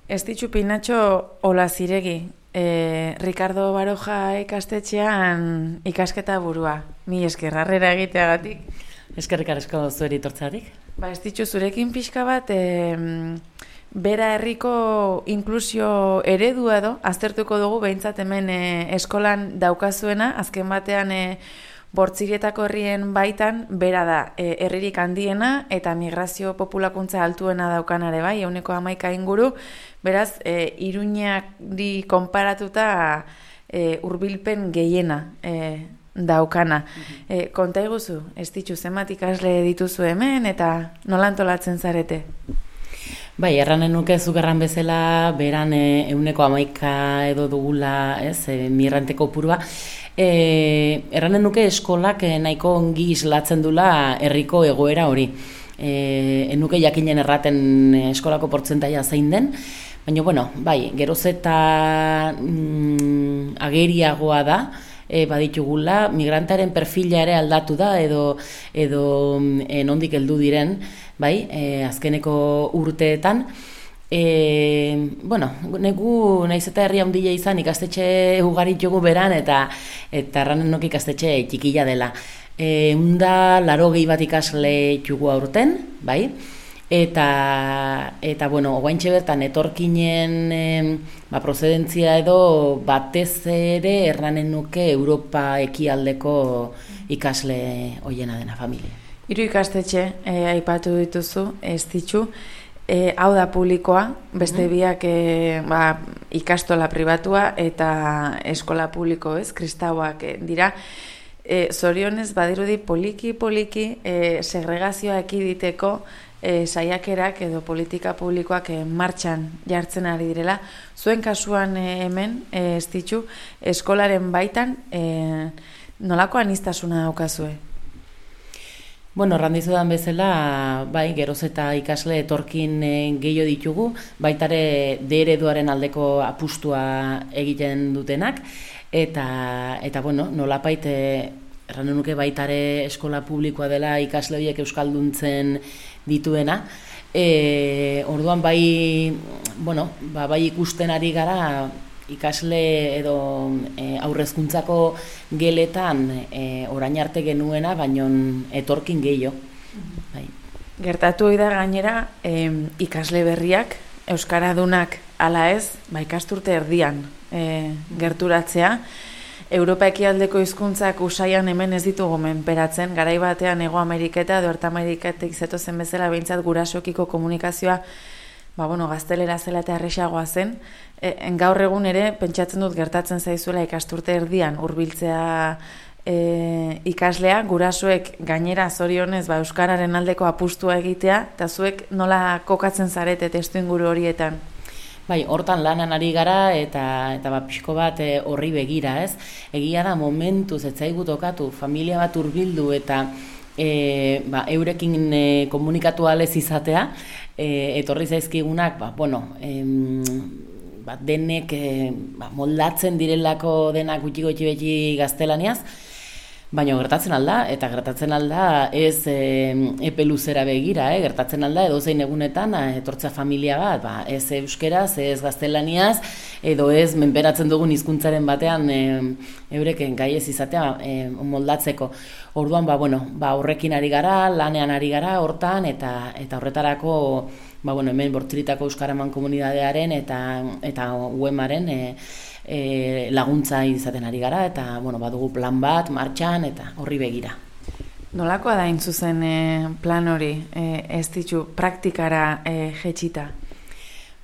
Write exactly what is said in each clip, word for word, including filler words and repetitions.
Ez ditu Pinatxo Ola Ziregi, e, Ricardo Baroja ikastetxean ikasketa burua. Mi esker, harrera egiteagatik. Eskerrik asko zueri tortzarik. Ba, ez ditu zurekin pixka bat, e, bera herriko inklusio eredua edo, aztertuko dugu behintzat hemen e, eskolan daukazuena, azken batean e, Bortziretako herrien baitan, bera da, e, herririk handiena eta migrazio populakuntza altuena daukanare bai, ehuneko hamaika inguru, beraz, e, Iruñari konparatuta e, hurbilpen gehiena e, daukana. Mm-hmm. E, konta iguzu, ez ditu zenbat ikasle dituzu hemen eta nola antolatzen zarete? Bai, erranen nuke zugerran bezala, beran e, ehuneko hamaika edo dugula, ez, e, migranteko purua. E, erranen nuke eskolak nahiko ongi islatzen dula herriko egoera hori. E, enuke jakinen erraten eskolako portzentaia zein den, baina, bueno, bai, geroz eta mm, ageriagoa da, e, baditugula, migrantaren perfila ere aldatu da, edo, edo e, nondik heldu diren, bai, e, azkeneko urteetan. E, bueno, negu naiz eta herri handia izan ikastetxe ugari ditugu beran eta eta erranen nok ikastetxe txikila dela. E, unda laro gehi bat ikasle ditugu aurten, bai? Eta, eta bueno, ogaintxe bertan etorkinen e, ba, prozedentzia edo batez ere erranen nuke Europa ekialdeko ikasle hoiena dena familia. Hiru ikastetxe e, aipatu dituzu, ez ditu. E, hau da publikoa, beste biak e, ba, ikastola pribatua eta eskola publiko, ez, kristauak e, dira. E, zorionez, badirudi poliki-poliki e, segregazioa ekiditeko e, saiakerak edo politika publikoak e, martxan jartzen ari direla. Zuen kasuan e, hemen, e, ez ditu, eskolaren baitan e, nolako aniztasuna daukazue? Bueno, randizudan bezala, bai, geroz eta ikasle etorkin e, gehiago ditugu, baitare de ereduaren aldeko apustua egiten dutenak, eta, eta bueno, nolapait, erran nuke baitare eskola publikoa dela ikasle horiek euskalduntzen dituena, e, orduan bai, bueno, ba, bai ikusten ari gara, ikasle edo e, aurrezkuntzako geletan e, orain arte genuena, baino etorkin gehiago. Bai. Gertatu da gainera e, ikasle berriak, euskaradunak ala ez, ba, ikasturte erdian e, gerturatzea. Europa ekialdeko hizkuntzak usaian hemen ez ditugu menperatzen, garai batean Hego Ameriketa edo Erta Ameriketik zetozen bezala behintzat gurasoekiko komunikazioa ba, bueno, gaztelera zela eta erresagoa zen, e, gaur egun ere pentsatzen dut gertatzen zaizuela ikasturte erdian hurbiltzea e, ikaslea, gurasoek gainera zorionez ba, euskararen aldeko apustua egitea, eta zuek nola kokatzen zarete testu inguru horietan? Bai, hortan lanan ari gara eta eta ba pixko bat e, horri begira, ez? Egia da momentuz ez zaigu tokatu familia bat hurbildu eta e, ba, eurekin e, komunikatu alez izatea, e, etorri zaizkigunak, ba, bueno, em, ba, denek e, ba, moldatzen direlako denak gutxi gutxi beti gaztelaniaz, baina gertatzen alda, eta gertatzen alda ez e, epe luzera begira, eh? Gertatzen alda edozein egunetan etortzea familia bat, ba, ez euskeraz, ez gaztelaniaz, edo ez menperatzen dugun hizkuntzaren batean e, eureken gai ez izatea e, moldatzeko. Orduan, ba, bueno, ba, horrekin ari gara, lanean ari gara, hortan, eta eta horretarako ba, bueno, hemen Bortziritako Euskaraman komunidadearen eta, eta U E M-aren e, E, laguntza izaten ari gara, eta bueno, badugu plan bat, martxan, eta horri begira. Nolakoa da intzuzen e, plan hori, e, ez ditu praktikara e, jetxita?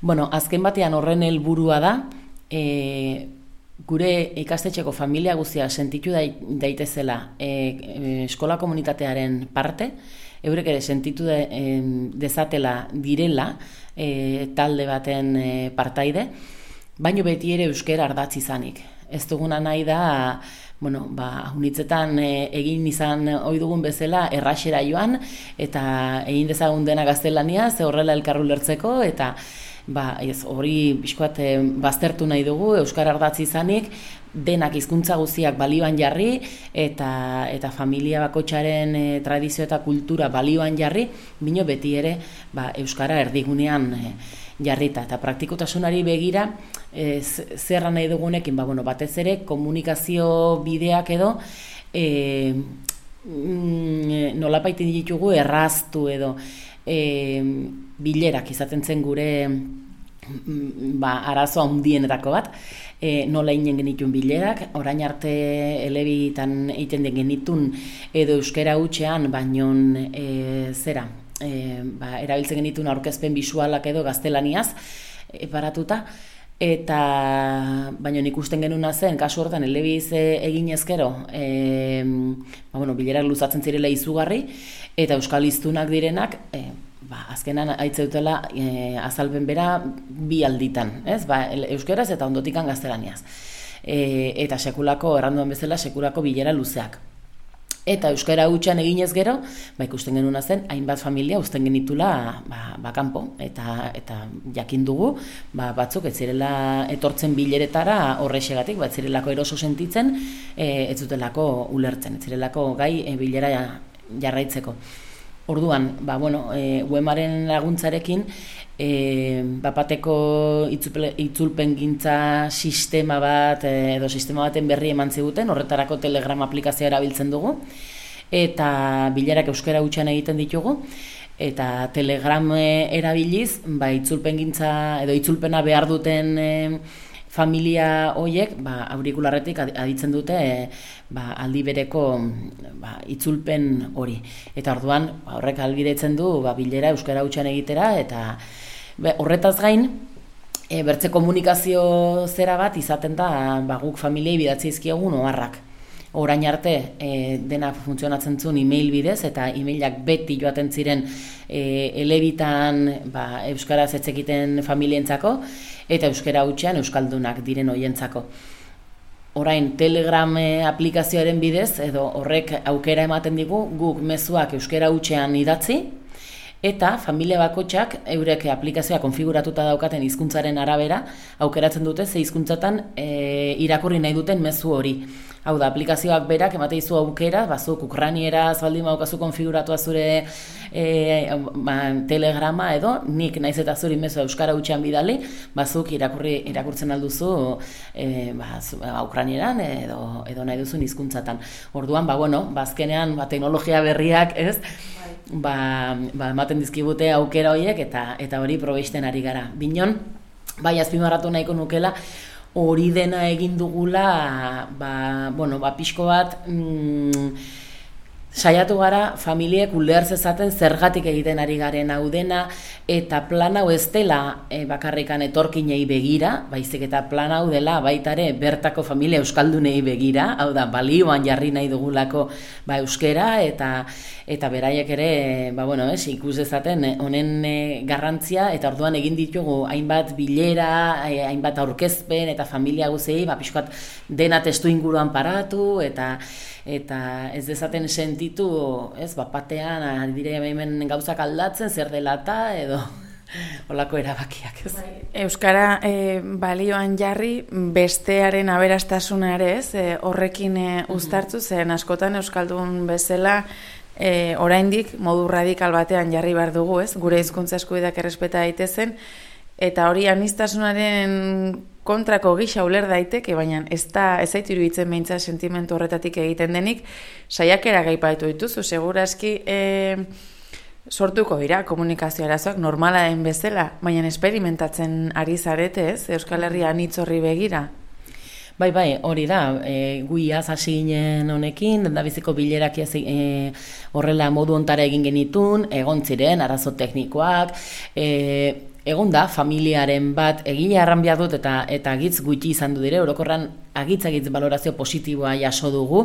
Bueno, azken batean horren helburua da, e, gure ikastetxeko familia guztia sentitu daitezela e, eskola komunitatearen parte, eurek ere sentitu de, e, dezatela direla e, talde baten e, partaide, baino beti ere euskera ardatz izanik. Ez duguna nahi da, bueno, ba, unitzetan e, egin izan ohi dugun bezala erraxera joan, eta egin dezagun dena gaztelania, ze horrela elkarru lertzeko, eta ba, ez, hori bizkoat e, baztertu nahi dugu, euskara ardatz izanik, denak hizkuntza guztiak balioan jarri, eta, eta familia bakoitzaren e, tradizio eta kultura balioan jarri, bino beti ere ba, euskara erdigunean e, jarrita. Eta praktikotasunari begira, e, zerra nahi dugunekin, ba, bueno, batez ere komunikazio bideak edo, e, mm, nolapaiten ditugu erraztu edo e, bilerak izaten zen gure ba, arazo handienetako bat, e, nola inen genituen bilerak, orain arte elebitan egiten den genitun edo euskera hutsean, baino e, zera, e, ba, erabiltzen genituen aurkezpen bisualak edo gaztelaniaz e, paratuta, eta baino ikusten genuna zen, kasu hortan elebiz egin ezkero, e, ba, bueno, bilerak luzatzen zirela izugarri, eta euskal hiztunak direnak, e, ba, azkenan aitze dutela e, azalpen bera bi alditan, ez? Ba, euskeraz eta ondotikan gaztelaniaz. E, eta sekulako, erranduan bezala, sekulako bilera luzeak. Eta euskara hutsan eginez gero, ba, ikusten genuna zen, hainbat familia uzten genitula ba, ba, kanpo, eta, eta jakin dugu, ba, batzuk ez zirela etortzen bileretara horrexegatik, ba, ez zirelako eroso sentitzen, e, ez zutelako ulertzen, ez zirelako gai e, bilera jarraitzeko. Orduan, ba, bueno, e, uemaren laguntzarekin, e, bapateko itzulpen gintza sistema bat, e, edo sistema baten berri eman ziguten, horretarako Telegram aplikazioa erabiltzen dugu, eta bilerak euskara hutsan egiten ditugu, eta Telegram erabiliz, ba, itzulpen gintza, edo itzulpena behar duten e, familia horiek, ba, aurikularretik aditzen dute e, ba, aldi bereko ba, itzulpen hori. Eta orduan, ba, horrek ahalbidetzen du ba, bilera euskara hutsan egitera, eta be, horretaz gain, e, bertze komunikazio zera bat izaten da ba, guk familiei bidatzi izkiogun oharrak. Orain arte e, dena funtzionatzen zuen e-mail bidez, eta e-mailak beti joaten ziren e, elebitan ba, euskaraz etzekiten familientzako, eta euskara hutsean euskaldunak diren hoientzako. Orain Telegram aplikazioaren bidez, edo horrek aukera ematen digu, guk mezuak euskara hutsean idatzi, eta familia bakotxak eurek aplikazioa konfiguratuta daukaten hizkuntzaren arabera aukeratzen dute ze hizkuntzatan e, irakurri nahi duten mezu hori. Hau da, aplikazioak berak emate dizu aukera, bazuk ukranieraz baldin baukazu konfiguratua zure e, ba, telegrama edo, nik naiz eta zuri mezu euskara hutsean bidali, bazuk irakurri irakurtzen alduzu e, ba, ukranieran edo, edo nahi duzun hizkuntzatan. Orduan, ba, bueno, bazkenean ba, teknologia berriak, ez? Ba, ba, ematen dizkibute aukera horiek eta eta hori probesten ari gara. Binon, bai azpimarratu nahiko nukela, hori dena egin dugula, ba, bueno, ba, pixko bat, mm, saiatu gara familiek uler zezaten zergatik egiten ari garen hau dena, eta plan hau ez dela e, bakarrikan etorkinei begira, baizik eta plan hau dela baitare bertako familia euskaldunei begira, hau da, balioan jarri nahi dugulako ba, euskera, eta eta beraiek ere, ba, bueno, es, ikus dezaten honen e, garrantzia, eta orduan egin ditugu hainbat bilera, e, hainbat aurkezpen, eta familia guzei, ba, pixkat dena testu inguruan paratu, eta eta ez dezaten sentitu, ez, bat batean, dire hemen gauzak aldatzen, zer dela eta, edo holako erabakiak, ez. Euskara e, balioan jarri, bestearen aberastasuna ere, ez, e, horrekin e, uztartzu, zen askotan euskaldun bezala, e, oraindik modu radikal batean jarri behar dugu, ez, gure hizkuntza eskubideak errespeta daitezen, eta hori aniztasunaren kontrako gisa uler daiteke, baina ez da ez zaitu iruditzen beintza sentimentu horretatik egiten denik, saiakera gaipatu dituzu, segurazki e, sortuko dira komunikazio arazoak normala den bezala, baina esperimentatzen ari zarete, ez? Euskal Herria anitz horri begira. Bai, bai, hori da, e, guiaz hasi ginen honekin, dendabiziko bilerak e, horrela modu ontara egin genitun, egon ziren, arazo teknikoak, e, egon da, familiaren bat egile arranbia dut eta eta agitz gutxi izan du dire, orokorran agitz-agitz balorazio positiboa jaso dugu,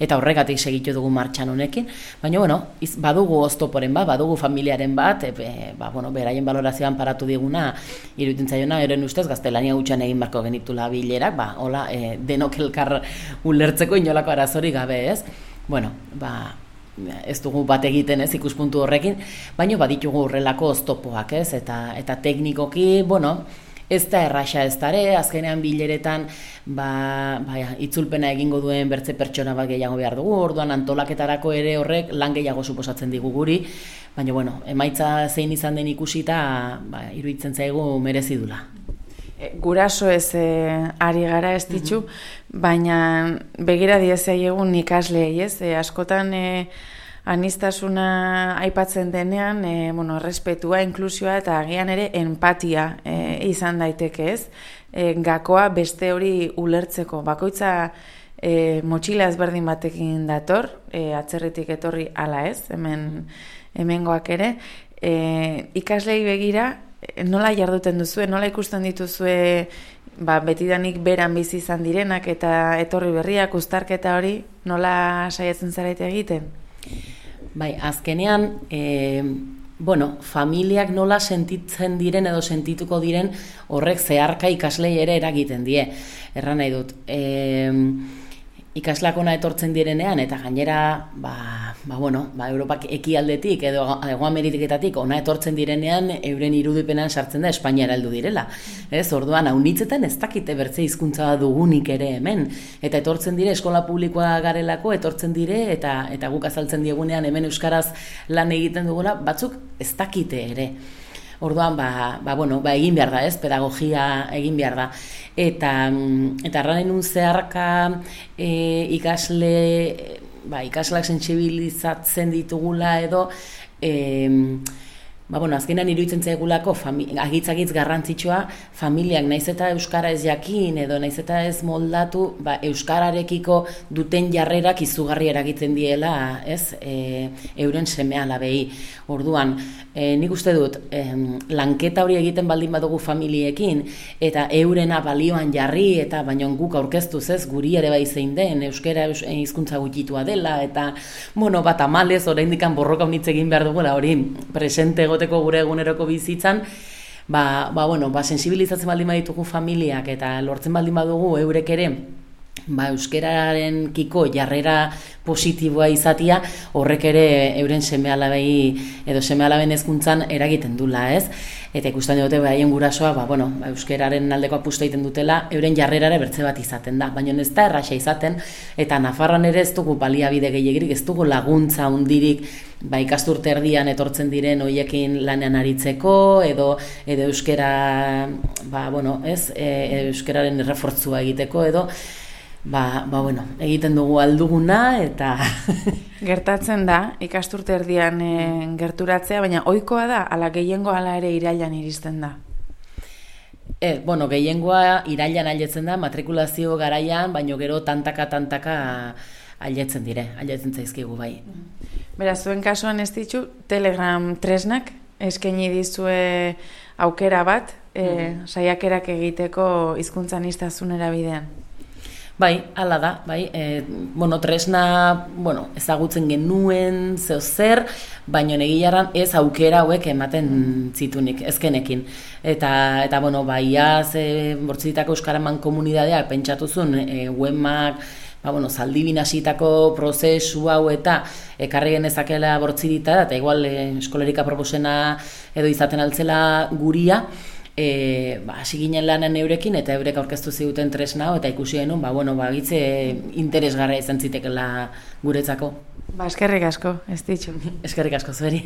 eta horregatik segitu dugu martxan honekin, baina, bueno, iz, badugu oztoporen bat, badugu familiaren bat, e, ba, bueno, beraien balorazioan paratu diguna, iruditzen zaiona, eren ustez, gaztelania hutsan egin barko genitula bilerak, ba, hola, e, denok elkar ulertzeko inolako arazori gabe, ez? Bueno, ba, ez dugu bat egiten, ez, ikuspuntu horrekin, baina baditugu horrelako oztopoak, ez, eta eta teknikoki, bueno, ez da erraxa ez dare, azkenean bileretan ba, ba, itzulpena egingo duen bertze pertsona bat gehiago behar dugu, orduan antolaketarako ere horrek lan gehiago suposatzen digu guri, baina, bueno, emaitza zein izan den ikusita, ba, iruditzen zaigu merezi dula. Guraso ez e, ari gara ez ditzu, baina begira diezai egun ikasleei ez, e, askotan e, anistasuna aipatzen denean, e, bueno, errespetua, inklusioa eta agian ere empatia e, izan daiteke ez, e, gakoa beste hori ulertzeko, bakoitza e, motxila ezberdin batekin dator, e, atzerritik etorri ala ez, hemen hemengoak ere, e, ikaslei begira, nola jarduten duzue, nola ikusten dituzue ba, betidanik beran bizi izan direnak eta etorri berriak, uztarketa hori, nola saiatzen zarete egiten? Bai, azkenean, e, bueno, familiak nola sentitzen diren edo sentituko diren horrek zeharka ikaslei ere eragiten die. Erran nahi dut, e, ikasleak ona etortzen direnean eta gainera, ba, ba, bueno, ba, Europak ekialdetik edo Hego Ameriketatik ona etortzen direnean euren irudipenean sartzen da Espainiara heldu direla. Ez, orduan, haunitzetan ez dakite bertze hizkuntza dugunik ere hemen. Eta etortzen dire, eskola publikoa garelako, etortzen dire, eta eta guk azaltzen diegunean hemen euskaraz lan egiten dugula, batzuk ez dakite ere. Orduan, ba, ba, bueno, ba, egin behar da, ez, pedagogia egin behar da. Eta, eta erranen un zeharka e, ikasle, ba, ikaslak sentsibilizatzen ditugula edo, e, ba, bueno, azkenan iruditzen zaigulako agitz-agitz garrantzitsua familiak naiz eta euskara ez jakin edo naiz eta ez moldatu, ba, euskararekiko duten jarrerak izugarri eragiten diela, ez, e, euren seme-alabei. Orduan, e, nik uste dut, e, lanketa hori egiten baldin badugu familiekin eta eurena balioan jarri eta baino guk aurkeztuz, ez, guri ere bai zein den, euskara hizkuntza gutxitua dela eta, bueno, bat amalez, oraindik borroka unitz egin behar dugula, hori presente egoteko gure eguneroko bizitzan, ba, ba, bueno, ba, sensibilizatzen baldin baditugu familiak eta lortzen baldin badugu eurek ere, ba, euskararen kiko jarrera positiboa izatia, horrek ere euren seme-alabei edo seme-alaben hezkuntzan eragiten dula, ez? Eta ikusten dute haien gurasoa, ba, bueno, ba, euskararen aldeko apustu egiten dutela, euren jarrerare bertze bat izaten da, baina ez da erraxa izaten, eta Nafarroan ere ez dugu baliabide gehiagirik, ez dugu laguntza hundirik, ba, ikasturte erdian etortzen diren hoiekin lanean aritzeko, edo edo euskara, ba, bueno, ez, e, euskararen errefortzua egiteko, edo Ba, ba, bueno, egiten dugu alduguna eta... Gertatzen da, ikasturte erdian e, gerturatzea, baina ohikoa da, ala gehiengo ala ere irailan iristen da? E, bueno, gehiengoa irailan ailetzen da, matrikulazio garaian, baino gero tantaka-tantaka ailetzen dire, ailetzen zaizkigu bai. Beraz, zuen kasuan ez ditu, Telegram tresnak eskaini dizue aukera bat, e, mm. saiakerak egiteko hizkuntzan aniztasun erabidean. Bai, hala da, bai, e, bueno, tresna, bueno, ezagutzen genuen zeo zer, baina egiaran ez aukera hauek ematen zitunik, ezkenekin. Eta, eta bueno, bai, az, e, bortzitako euskaraman komunidadeak pentsatuzun, e, wemak, ba, bueno, zaldibin hasitako prozesu hau eta ekarri genezakela bortzirita, eta igual e, eskolerika proposena edo izaten altzela guria, E, ba, hasi ginen lanen eurekin eta eurek aurkeztu ziguten tresna hau eta ikusi genuen, ba, bueno, ba, gitze interesgarria izan zitekela guretzako. Ba, eskerrik asko, ez ditxu. Eskerrik asko zueri.